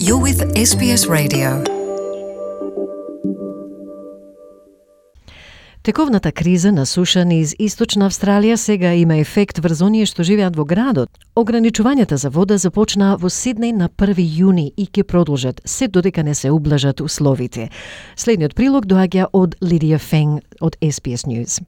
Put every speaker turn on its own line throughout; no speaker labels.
You're with SBS Radio. Тековната криза на суша низ Источна Австралија сега има ефект врз оние што живеат во градот. Ограничувањата за вода започнаа во Сиднеј на 1 јуни и ќе продолжат се додека не се ублажат условите. Следниот прилог доаѓа од Лидија Фенг од SBS News.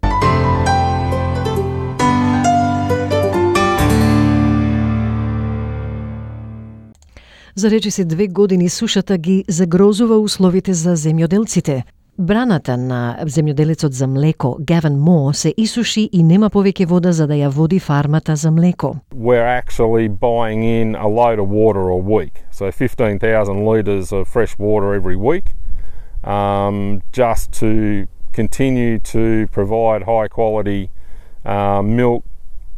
За речиси 2 години сушата ги загрозува условите за земјоделците. Браната на земјоделецот за млеко, Гавин Мор, се исуши и нема повеќе вода за да ја води фармата за млеко.
We're actually buying in a load of water a week. So 15,000 litres of fresh water every week, just to continue to provide high quality milk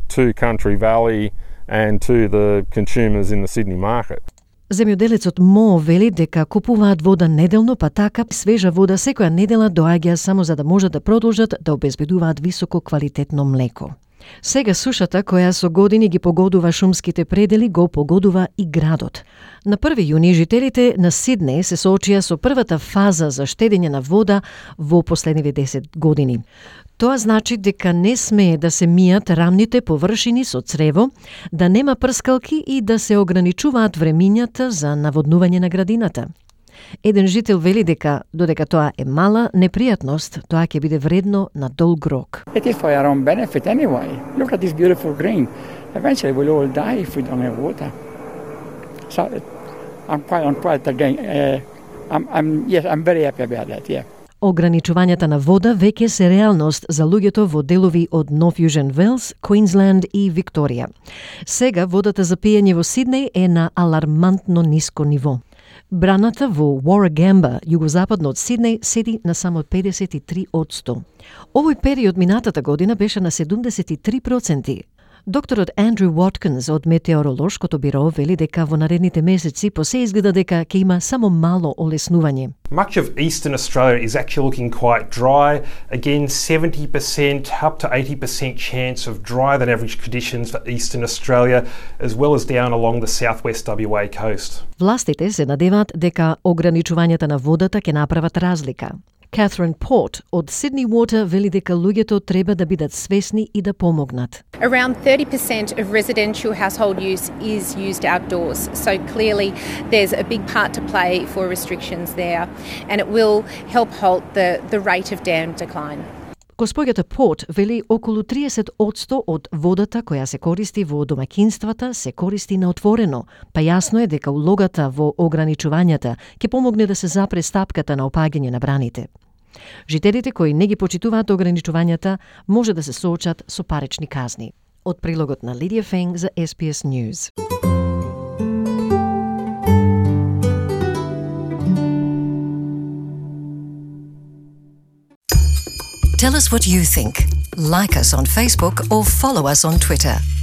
to Country Valley and to the consumers in the Sydney market.
Земјоделецот Мо вели дека купуваат вода неделно, па така свежа вода секоја недела доаѓа само за да можат да продолжат да обезбедуваат високо квалитетно млеко. Сега сушата, која со години ги погодува шумските предели, го погодува и градот. На 1 јуни жителите на Сиднеј се соочија со првата фаза за штедење на вода во последниве 10 години. Тоа значи дека не смее да се мијат рамните површини со црево, да нема прскалки и да се ограничуваат времињата за наводнување на градината. Еден жител вели дека, додека тоа е мала непријатност, тоа ќе биде вредно на долг рок.
It is for our own benefit anyway. Look at this beautiful green. Eventually we'll all die if we don't have water. So I'm very happy about that, yeah.
Ограничувањата на вода веќе се реалност за луѓето во делови од Нов Јужен Велс, Квинсленд и Викторија. Сега водата за пиење во Сиднеј е на алармантно ниско ниво. Браната во Warragamba, југозападно од Сиднеј, седи на само 53%. Овој период минатата година беше на 73%. Докторот Андрю Watkins од Метеоролошкото биро вели дека во наредните месеци по се изгледа дека ќе има само мало олеснување.
Much of eastern Australia is actually looking quite dry. Again, 70% up to 80% chance of drier than average conditions for eastern Australia, as well as down along the southwest WA coast.
Властите се надеваат дека ограничувањата на водата ќе направат разлика. Catherine Port од Sydney Water вели дека луѓето треба да бидат свесни и да помогнат.
Around 30% of residential household use is used outdoors, so clearly there's a big part to play for restrictions there, and it will help halt the rate of dam decline.
Госпоѓата Порт вели околу 30% од водата која се користи во домаќинствата се користи на отворено, па јасно е дека улогата во ограничувањата ќе помогне да се запре стапката на опаѓање на браните. Жителите кои не ги почитуваат ограничувањата може да се соочат со парични казни. Од прилогот на Лидија Фенг за SBS News.
Tell us what you think. Like us on Facebook or follow us on Twitter.